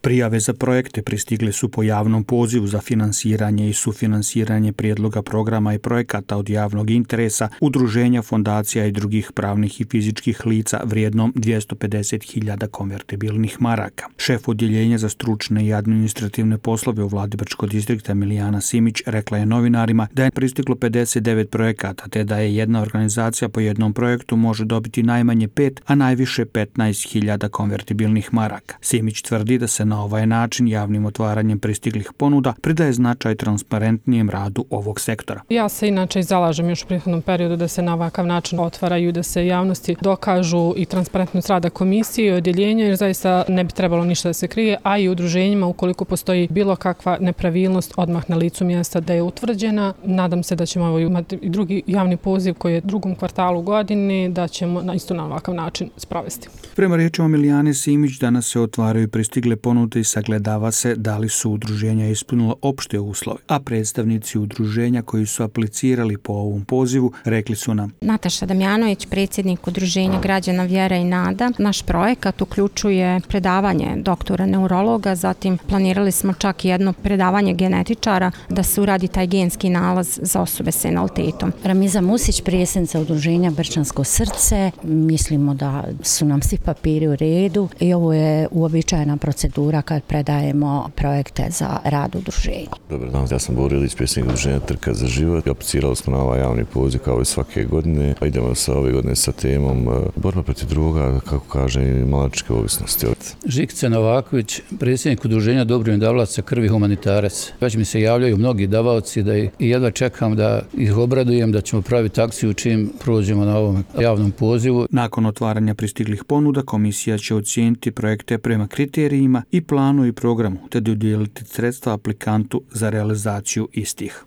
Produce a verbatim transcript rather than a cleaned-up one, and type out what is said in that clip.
Prijave za projekte pristigle su po javnom pozivu za finansiranje i sufinansiranje prijedloga programa i projekata od javnog interesa, udruženja, fondacija i drugih pravnih i fizičkih lica vrijednom dvjesto pedeset hiljada konvertibilnih maraka. Šef odjeljenja za stručne i administrativne poslove u vladi Brčkog distrikta Milijana Simić rekla je novinarima da je pristiglo pedeset devet projekata, te da je jedna organizacija po jednom projektu može dobiti najmanje pet, a najviše petnaest hiljada konvertibilnih maraka. Simić tvrdi da se na ovaj način javnim otvaranjem pristiglih ponuda pridaje značaj transparentnijem radu ovog sektora. Ja se inače zalažem još u prethodnom periodu da se na ovakav način otvaraju, da se javnosti dokažu i transparentnost rada komisije i odjeljenja, jer zaista ne bi trebalo ništa da se krije, a i udruženjima ukoliko postoji bilo kakva nepravilnost odmah na licu mjesta da je utvrđena. Nadam se da ćemo imati i drugi javni poziv koji je u drugom kvartalu godine, da ćemo na isto na ovakav način sprovesti. Prema riječima Milijane Simić, danas se otvaraju pristigle ponude i sagledava se da li su udruženja ispunila opšte uslove, a predstavnici udruženja koji su aplicirali po ovom pozivu rekli su nam: Nataša Damjanović, predsjednik udruženja građana Vjera i Nada. Naš projekat uključuje predavanje doktora neurologa, zatim planirali smo čak jedno predavanje genetičara da se uradi taj genski nalaz za osobe s invaliditetom. Ramiza Musić, predsjednica udruženja Brčansko srce. Mislimo da su nam svi papiri u redu i ovo je uobičajena procedura kad predajemo projekte za rad udruženja. Dobar dan, ja sam Bor Ilić, predsjednik udruženja Trka za život. Aplicirali smo na ovaj javni poziv kao i svake godine. Idemo sa ove godine sa temom borba protiv droga, kako kaže, i malačke ovisnosti. Žikica Novaković, predsjednik udruženja Dobrovoljnih davalaca krvi humanitarac. Već mi se javljaju mnogi davaoci da i jedva čekam da ih obradujem, da ćemo praviti akciju čim prođemo na ovom javnom pozivu. Nakon otvaranja pristiglih ponuda, komisija će ocijeniti projekte prema kriterijima i planu i programu, te dodijeliti sredstva aplikantu za realizaciju istih.